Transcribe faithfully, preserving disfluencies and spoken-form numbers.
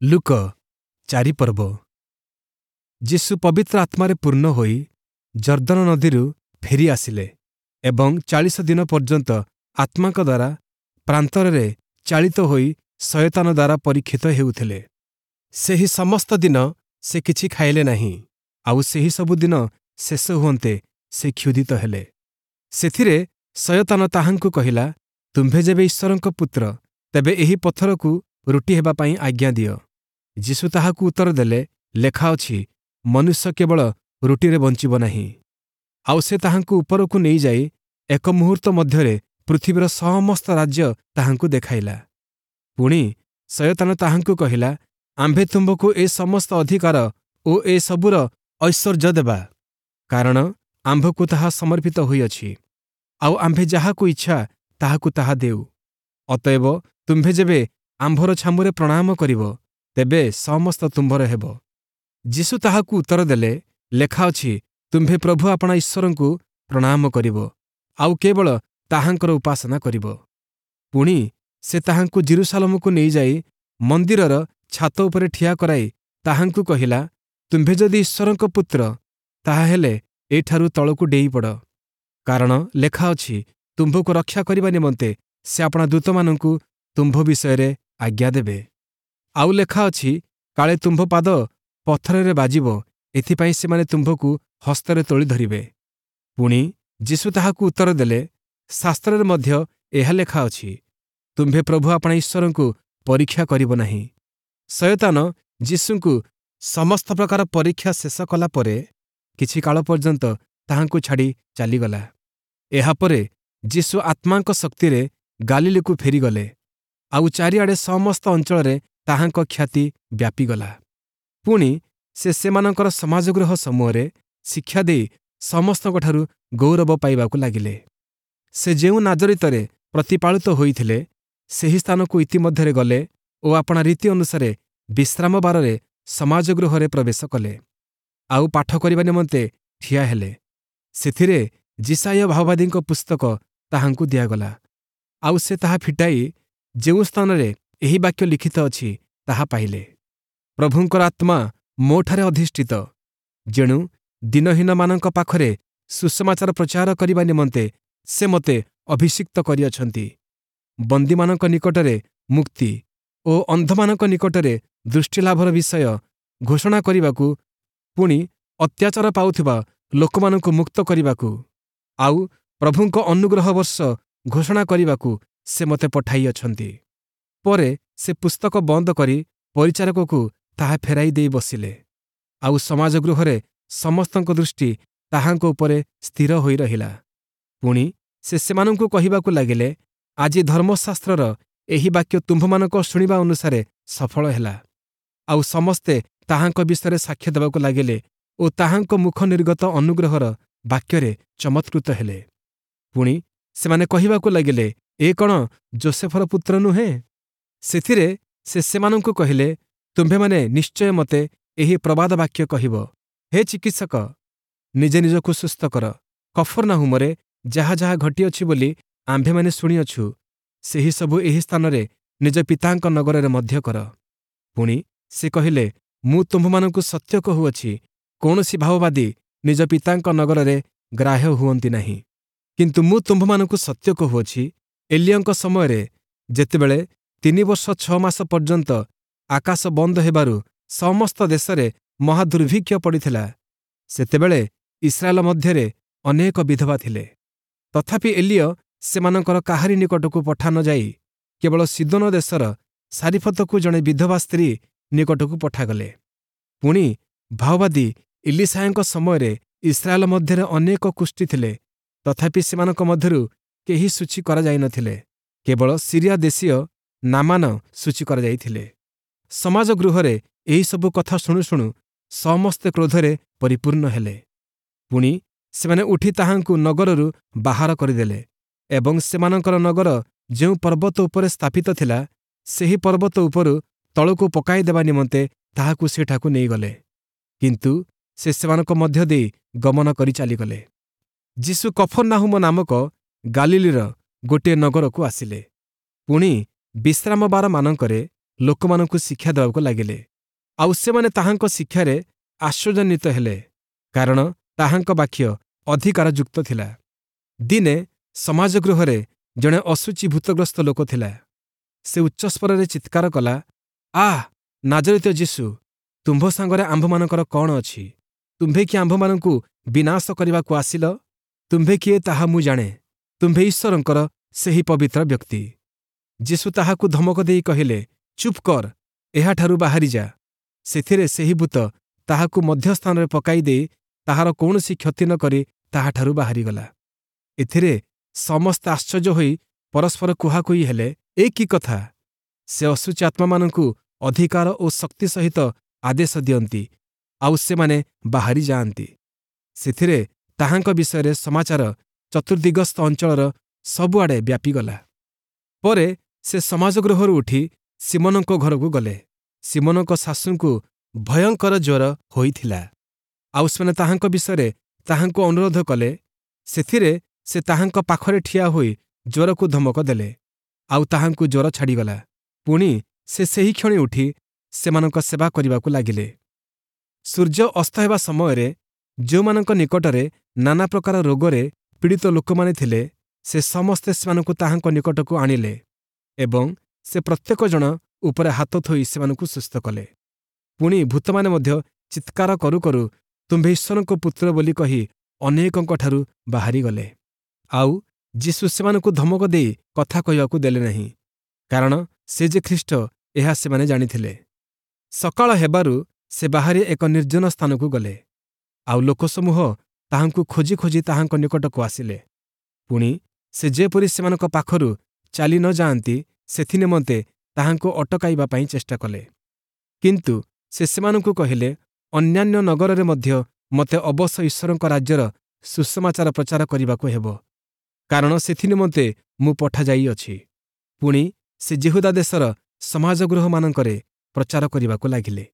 ଲୂକ ଚାରି ପର୍ବ ଯୀଶୁ ପବିତ୍ର ଆତ୍ମାରେ ପୂର୍ଣ୍ଣ ହୋଇ ଯର୍ଦ୍ଦନ ନଦୀରୁ ଫେରି ଆସିଲେ ଏବଂ ଚାଳିଶ ଦିନ ପର୍ଯ୍ୟନ୍ତ ଆତ୍ମାଙ୍କ ଦ୍ୱାରା ପ୍ରାନ୍ତରରେ ଚାଳିତ ହୋଇ ଶୟତାନ ଦ୍ୱାରା ପରୀକ୍ଷିତ ହେଉଥିଲେ। ସେହି ସମସ୍ତ ଦିନ ସେ କିଛି ଖାଇଲେ ନାହିଁ, ଆଉ ସେହି ସବୁ ଦିନ ଶେଷ ହୁଅନ୍ତେ ସେ କ୍ଷୁଧିତ ହେଲେ। ସେଥିରେ ଶୟତାନ ତାହାଙ୍କୁ କହିଲା, ତୁମ୍ଭେ ଯେବେ ଈଶ୍ୱରଙ୍କ ପୁତ୍ର, ତେବେ ଏହି ପଥରକୁ ରୁଟି ହେବା ପାଇଁ ଆଜ୍ଞା ଦିଅ। ଯୀଶୁ ତାହାକୁ ଉତ୍ତର ଦେଲେ, ଲେଖା ଅଛି, ମନୁଷ୍ୟ କେବଳ ରୁଟିରେ ବଞ୍ଚିବ ନାହିଁ। ଆଉ ସେ ତାହାଙ୍କୁ ଉପରକୁ ନେଇଯାଇ ଏକ ମୁହୂର୍ତ୍ତ ମଧ୍ୟରେ ପୃଥିବୀର ସମସ୍ତ ରାଜ୍ୟ ତାହାଙ୍କୁ ଦେଖାଇଲା। ପୁଣି ଶୟତାନ ତାହାଙ୍କୁ କହିଲା, ଆମ୍ଭେ ତୁମ୍ଭକୁ ଏ ସମସ୍ତ ଅଧିକାର ଓ ଏ ସବୁର ଐଶ୍ୱର୍ଯ୍ୟ ଦେବା, କାରଣ ଆମ୍ଭକୁ ତାହା ସମର୍ପିତ ହୋଇଅଛି, ଆଉ ଆମ୍ଭେ ଯାହାକୁ ଇଚ୍ଛା ତାହାକୁ ତାହା ଦେଉ। ଅତଏବ ତୁମ୍ଭେ ଯେବେ ଆମ୍ଭର ଛାମୁରେ ପ୍ରଣାମ କରିବ, ତେବେ ସମସ୍ତ ତୁମ୍ଭର ହେବ। ଯୀଶୁ ତାହାକୁ ଉତ୍ତର ଦେଲେ, ଲେଖା ଅଛି, ତୁମ୍ଭେ ପ୍ରଭୁ ଆପଣା ଈଶ୍ୱରଙ୍କୁ ପ୍ରଣାମ କରିବ, ଆଉ କେବଳ ତାହାଙ୍କର ଉପାସନା କରିବ। ପୁଣି ସେ ତାହାଙ୍କୁ ଯିରୂଶାଲମକୁ ନେଇଯାଇ ମନ୍ଦିରର ଛାତ ଉପରେ ଠିଆ କରାଇ ତାହାଙ୍କୁ କହିଲା, ତୁମ୍ଭେ ଯଦି ଈଶ୍ୱରଙ୍କ ପୁତ୍ର, ତାହାହେଲେ ଏଠାରୁ ତଳକୁ ଡେଇଁପଡ଼। କାରଣ ଲେଖା ଅଛି, ତୁମ୍ଭକୁ ରକ୍ଷା କରିବା ନିମନ୍ତେ ସେ ଆପଣା ଦୂତମାନଙ୍କୁ ତୁମ୍ଭ ବିଷୟରେ ଆଜ୍ଞା ଦେବେ। ଆଉ ଲେଖା ଅଛି, କାଳେ ତୁମ୍ଭ ପାଦ ପଥରରେ ବାଜିବ, ଏଥିପାଇଁ ସେମାନେ ତୁମ୍ଭକୁ ହସ୍ତରେ ତୋଳି ଧରିବେ। ପୁଣି ଯୀଶୁ ତାହାକୁ ଉତ୍ତର ଦେଲେ, ଶାସ୍ତ୍ରରେ ମଧ୍ୟ ଏହା ଲେଖା ଅଛି, ତୁମ୍ଭେ ପ୍ରଭୁ ଆପଣା ଈଶ୍ୱରଙ୍କୁ ପରୀକ୍ଷା କରିବ ନାହିଁ। ଶୟତାନ ଯୀଶୁଙ୍କୁ ସମସ୍ତ ପ୍ରକାର ପରୀକ୍ଷା ଶେଷ କଲା ପରେ କିଛି କାଳ ପର୍ଯ୍ୟନ୍ତ ତାହାଙ୍କୁ ଛାଡ଼ି ଚାଲିଗଲା। ଏହାପରେ ଯୀଶୁ ଆତ୍ମାଙ୍କ ଶକ୍ତିରେ ଗାଲିଲୀକୁ ଫେରିଗଲେ, ଆଉ ଚାରିଆଡ଼େ ସମସ୍ତ ଅଞ୍ଚଳରେ ତାହାଙ୍କ ଖ୍ୟାତି ବ୍ୟାପିଗଲା। ପୁଣି ସେ ସେମାନଙ୍କର ସମାଜଗୃହ ସମୂହରେ ଶିକ୍ଷା ଦେଇ ସମସ୍ତଙ୍କଠାରୁ ଗୌରବ ପାଇବାକୁ ଲାଗିଲେ। ସେ ଯେଉଁ ନାଜରିତରେ ପ୍ରତିପାଳିତ ହୋଇଥିଲେ, ସେହି ସ୍ଥାନକୁ ଇତିମଧ୍ୟରେ ଗଲେ ଓ ଆପଣା ରୀତି ଅନୁସାରେ ବିଶ୍ରାମବାରରେ ସମାଜଗୃହରେ ପ୍ରବେଶ କଲେ, ଆଉ ପାଠ କରିବା ନିମନ୍ତେ ଠିଆ ହେଲେ। ସେଥିରେ ଯିଶାଇୟ ଭାବବାଦୀଙ୍କ ପୁସ୍ତକ ତାହାଙ୍କୁ ଦିଆଗଲା, ଆଉ ସେ ତାହା ଫିଟାଇ ଯେଉଁ ସ୍ଥାନରେ ଏହି ବାକ୍ୟ ଲିଖିତ ଅଛି ତାହା ପାଇଲେ। ପ୍ରଭୁଙ୍କର ଆତ୍ମା ମୋଠାରେ ଅଧିଷ୍ଠିତ, ଯେଣୁ ଦୀନହୀନମାନଙ୍କ ପାଖରେ ସୁସମାଚାର ପ୍ରଚାର କରିବା ନିମନ୍ତେ ସେ ମୋତେ ଅଭିଷିକ୍ତ କରିଅଛନ୍ତି। ବନ୍ଦୀମାନଙ୍କ ନିକଟରେ ମୁକ୍ତି ଓ ଅନ୍ଧମାନଙ୍କ ନିକଟରେ ଦୃଷ୍ଟିଲାଭର ବିଷୟ ଘୋଷଣା କରିବାକୁ, ପୁଣି ଅତ୍ୟାଚାର ପାଉଥିବା ଲୋକମାନଙ୍କୁ ମୁକ୍ତ କରିବାକୁ, ଆଉ ପ୍ରଭୁଙ୍କ ଅନୁଗ୍ରହ ବର୍ଷ ଘୋଷଣା କରିବାକୁ ସେ ମୋତେ ପଠାଇଅଛନ୍ତି। ପରେ ସେ ପୁସ୍ତକ ବନ୍ଦ କରି ପରିଚାରକକୁ ତାହା ଫେରାଇ ଦେଇ ବସିଲେ, ଆଉ ସମାଜଗୃହରେ ସମସ୍ତଙ୍କ ଦୃଷ୍ଟି ତାହାଙ୍କ ଉପରେ ସ୍ଥିର ହୋଇ ରହିଲା। ପୁଣି ସେ ସେମାନଙ୍କୁ କହିବାକୁ ଲାଗିଲେ, ଆଜି ଧର୍ମଶାସ୍ତ୍ରର ଏହି ବାକ୍ୟ ତୁମ୍ଭମାନଙ୍କ ଶୁଣିବା ଅନୁସାରେ ସଫଳ ହେଲା। ଆଉ ସମସ୍ତେ ତାହାଙ୍କ ବିଷୟରେ ସାକ୍ଷ୍ୟ ଦେବାକୁ ଲାଗିଲେ ଓ ତାହାଙ୍କ ମୁଖ ନିର୍ଗତ ଅନୁଗ୍ରହର ବାକ୍ୟରେ ଚମତ୍କୃତ ହେଲେ। ପୁଣି ସେମାନେ କହିବାକୁ ଲାଗିଲେ, ଏ କ'ଣ ଯୋସେଫର ପୁତ୍ର ନୁହେଁ? ସେଥିରେ ସେ ସେମାନଙ୍କୁ କହିଲେ, ତୁମ୍ଭେମାନେ ନିଶ୍ଚୟ ମୋତେ ଏହି ପ୍ରବାଦ ବାକ୍ୟ କହିବ, ହେ ଚିକିତ୍ସକ, ନିଜେ ନିଜକୁ ସୁସ୍ଥ କର। କଫର୍ନାହୁମରେ ଯାହା ଯାହା ଘଟିଅଛି ବୋଲି ଆମ୍ଭେମାନେ ଶୁଣିଅଛୁ, ସେହି ସବୁ ଏହି ସ୍ଥାନରେ ନିଜ ପିତାଙ୍କ ନଗରରେ ମଧ୍ୟ କର। ପୁଣି ସେ କହିଲେ, ମୁଁ ତୁମ୍ଭମାନଙ୍କୁ ସତ୍ୟ କହୁଅଛି, କୌଣସି ଭାବବାଦୀ ନିଜ ପିତାଙ୍କ ନଗରରେ ଗ୍ରାହ୍ୟ ହୁଅନ୍ତି ନାହିଁ। କିନ୍ତୁ ମୁଁ ତୁମ୍ଭମାନଙ୍କୁ ସତ୍ୟ କହୁଅଛି, ଏଲିୟଙ୍କ ସମୟରେ ଯେତେବେଳେ ତିନି ବର୍ଷ ଛଅ ମାସ ପର୍ଯ୍ୟନ୍ତ ଆକାଶ ବନ୍ଦ ହେବାରୁ ସମସ୍ତ ଦେଶରେ ମହାଦୁର୍ଭିକ୍ଷ ପଡ଼ିଥିଲା, ସେତେବେଳେ ଇସ୍ରାଏଲ ମଧ୍ୟରେ ଅନେକ ବିଧବା ଥିଲେ। ତଥାପି ଏଲିୟ ସେମାନଙ୍କର କାହାରି ନିକଟକୁ ପଠା ନ ଯାଇ କେବଳ ସୀଦୋନ ଦେଶର ସାରିଫତକୁ ଜଣେ ବିଧବା ସ୍ତ୍ରୀ ନିକଟକୁ ପଠାଗଲେ। ପୁଣି ଭାଓବାଦୀ ଇଲିଶାୟଙ୍କ ସମୟରେ ଇସ୍ରାଏଲ ମଧ୍ୟରେ ଅନେକ କୁଷ୍ଠୀ ଥିଲେ, ତଥାପି ସେମାନଙ୍କ ମଧ୍ୟରୁ କେହି ସୂଚୀ କରାଯାଇନଥିଲେ, କେବଳ ସିରିଆ ଦେଶୀୟ ନାମାନ ସୂଚୀ କରାଯାଇଥିଲେ। ସମାଜଗୃହରେ ଏହିସବୁ କଥା ଶୁଣୁ ଶୁଣୁ ସମସ୍ତେ କ୍ରୋଧରେ ପରିପୂର୍ଣ୍ଣ ହେଲେ। ପୁଣି ସେମାନେ ଉଠି ତାହାଙ୍କୁ ନଗରରୁ ବାହାର କରିଦେଲେ ଏବଂ ସେମାନଙ୍କର ନଗର ଯେଉଁ ପର୍ବତ ଉପରେ ସ୍ଥାପିତ ଥିଲା, ସେହି ପର୍ବତ ଉପରୁ ତଳକୁ ପକାଇଦେବା ନିମନ୍ତେ ତାହାକୁ ସେଠାକୁ ନେଇଗଲେ। କିନ୍ତୁ ସେ ସେମାନଙ୍କ ମଧ୍ୟ ଦେଇ ଗମନ କରି ଚାଲିଗଲେ। ଯୀଶୁ କଫର୍ନାହୁମ ନାମକ ଗାଲିଲୀର ଗୋଟିଏ ନଗରକୁ ଆସିଲେ। ପୁଣି ବିଶ୍ରାମବାରମାନଙ୍କରେ ଲୋକମାନଙ୍କୁ ଶିକ୍ଷା ଦେବାକୁ ଲାଗିଲେ। ଆଉ ସେମାନେ ତାହାଙ୍କ ଶିକ୍ଷାରେ ଆଶ୍ଚର୍ଯ୍ୟାନ୍ୱିତ ହେଲେ, କାରଣ ତାହାଙ୍କ ବାକ୍ୟ ଅଧିକାରଯୁକ୍ତ ଥିଲା। ଦିନେ ସମାଜଗୃହରେ ଜଣେ ଅଶୁଚି ଭୂତଗ୍ରସ୍ତ ଲୋକ ଥିଲା। ସେ ଉଚ୍ଚସ୍ୱରରେ ଚିତ୍କାର କଲା, ଆଃ ନାଜରିତ ଯୀଶୁ, ତୁମ୍ଭ ସାଙ୍ଗରେ ଆମ୍ଭମାନଙ୍କର କ'ଣ ଅଛି? ତୁମ୍ଭେ କି ଆମ୍ଭମାନଙ୍କୁ ବିନାଶ କରିବାକୁ ଆସିଲ? ତୁମ୍ଭେ କିଏ ତାହା ମୁଁ ଜାଣେ, ତୁମ୍ଭେ ଈଶ୍ୱରଙ୍କର ସେହି ପବିତ୍ର ବ୍ୟକ୍ତି। ଯୀଶୁ ତାହାକୁ ଧମକ ଦେଇ କହିଲେ, ଚୁପ୍ କର, ଏହାଠାରୁ ବାହାରି ଯା। ସେଥିରେ ସେହି ଭୂତ ତାହାକୁ ମଧ୍ୟସ୍ଥାନରେ ପକାଇ ଦେଇ ତାହାର କୌଣସି କ୍ଷତି ନ କରି ତାହାଠାରୁ ବାହାରିଗଲା। ଏଥିରେ ସମସ୍ତେ ଆଶ୍ଚର୍ଯ୍ୟ ହୋଇ ପରସ୍ପର କୁହାକୁହି ହେଲେ, ଏ କି କଥା? ସେ ଅଶୁଚି ଆତ୍ମାମାନଙ୍କୁ ଅଧିକାର ଓ ଶକ୍ତି ସହିତ ଆଦେଶ ଦିଅନ୍ତି, ଆଉ ସେମାନେ ବାହାରି ଯାଆନ୍ତି। ସେଥିରେ ତାହାଙ୍କ ବିଷୟରେ ସମାଚାର ଚତୁର୍ଦ୍ଦିଗସ୍ଥ ଅଞ୍ଚଳର ସବୁଆଡ଼େ ବ୍ୟାପିଗଲା। ପରେ ସେ ସମାଜଗୃହରୁ ଉଠି ଶିମୋନଙ୍କ ଘରକୁ ଗଲେ। ଶିମୋନଙ୍କ ଶାଶୁଙ୍କୁ ଭୟଙ୍କର ଜ୍ୱର ହୋଇଥିଲା, ଆଉ ସେମାନେ ତାହାଙ୍କ ବିଷୟରେ ତାହାଙ୍କୁ ଅନୁରୋଧ କଲେ। ସେଥିରେ ସେ ତାହାଙ୍କ ପାଖରେ ଠିଆ ହୋଇ ଜ୍ୱରକୁ ଧମକ ଦେଲେ, ଆଉ ତାହାଙ୍କୁ ଜ୍ୱର ଛାଡ଼ିଗଲା। ପୁଣି ସେ ସେହିକ୍ଷଣି ଉଠି ସେମାନଙ୍କ ସେବା କରିବାକୁ ଲାଗିଲେ। ସୂର୍ଯ୍ୟ ଅସ୍ତ ହେବା ସମୟରେ ଯେଉଁମାନଙ୍କ ନିକଟରେ ନାନା ପ୍ରକାର ରୋଗରେ ପୀଡ଼ିତ ଲୋକମାନେ ଥିଲେ, ସେ ସମସ୍ତେ ସେମାନଙ୍କୁ ତାହାଙ୍କ ନିକଟକୁ ଆଣିଲେ ଏବଂ ସେ ପ୍ରତ୍ୟେକ ଜଣ ଉପରେ ହାତ ଥୋଇ ସେମାନଙ୍କୁ ସୁସ୍ଥ କଲେ। ପୁଣି ଭୂତମାନେ ମଧ୍ୟ ଚିତ୍କାର କରୁ କରୁ ତୁମ୍ଭେ ଈଶ୍ୱରଙ୍କ ପୁତ୍ର ବୋଲି କହି ଅନେକଙ୍କଠାରୁ ବାହାରିଗଲେ। ଆଉ ଯୀଶୁ ସେମାନଙ୍କୁ ଧମକ ଦେଇ କଥା କହିବାକୁ ଦେଲେ ନାହିଁ, କାରଣ ସେ ଯେ ଖ୍ରୀଷ୍ଟ ଏହା ସେମାନେ ଜାଣିଥିଲେ। ସକାଳ ହେବାରୁ ସେ ବାହାରି ଏକ ନିର୍ଜନ ସ୍ଥାନକୁ ଗଲେ, ଆଉ ଲୋକସମୂହ ତାହାଙ୍କୁ ଖୋଜି ଖୋଜି ତାହାଙ୍କ ନିକଟକୁ ଆସିଲେ। ପୁଣି ସେ ଯେପରି ସେମାନଙ୍କ ପାଖରୁ ଚାଲି ନ ଯାଆନ୍ତି, ସେଥିନିମନ୍ତେ ତାହାଙ୍କୁ ଅଟକାଇବା ପାଇଁ ଚେଷ୍ଟା କଲେ। କିନ୍ତୁ ସେ ସେମାନଙ୍କୁ କହିଲେ, ଅନ୍ୟାନ୍ୟ ନଗରରେ ମଧ୍ୟ ମୋତେ ଅବଶ୍ୟ ଈଶ୍ୱରଙ୍କ ରାଜ୍ୟର ସୁସମାଚାର ପ୍ରଚାର କରିବାକୁ ହେବ, କାରଣ ସେଥିନିମନ୍ତେ ମୁଁ ପଠାଯାଇଅଛି। ପୁଣି ସେ ଯିହୁଦା ଦେଶର ସମାଜଗୃହମାନଙ୍କରେ ପ୍ରଚାର କରିବାକୁ ଲାଗିଲେ।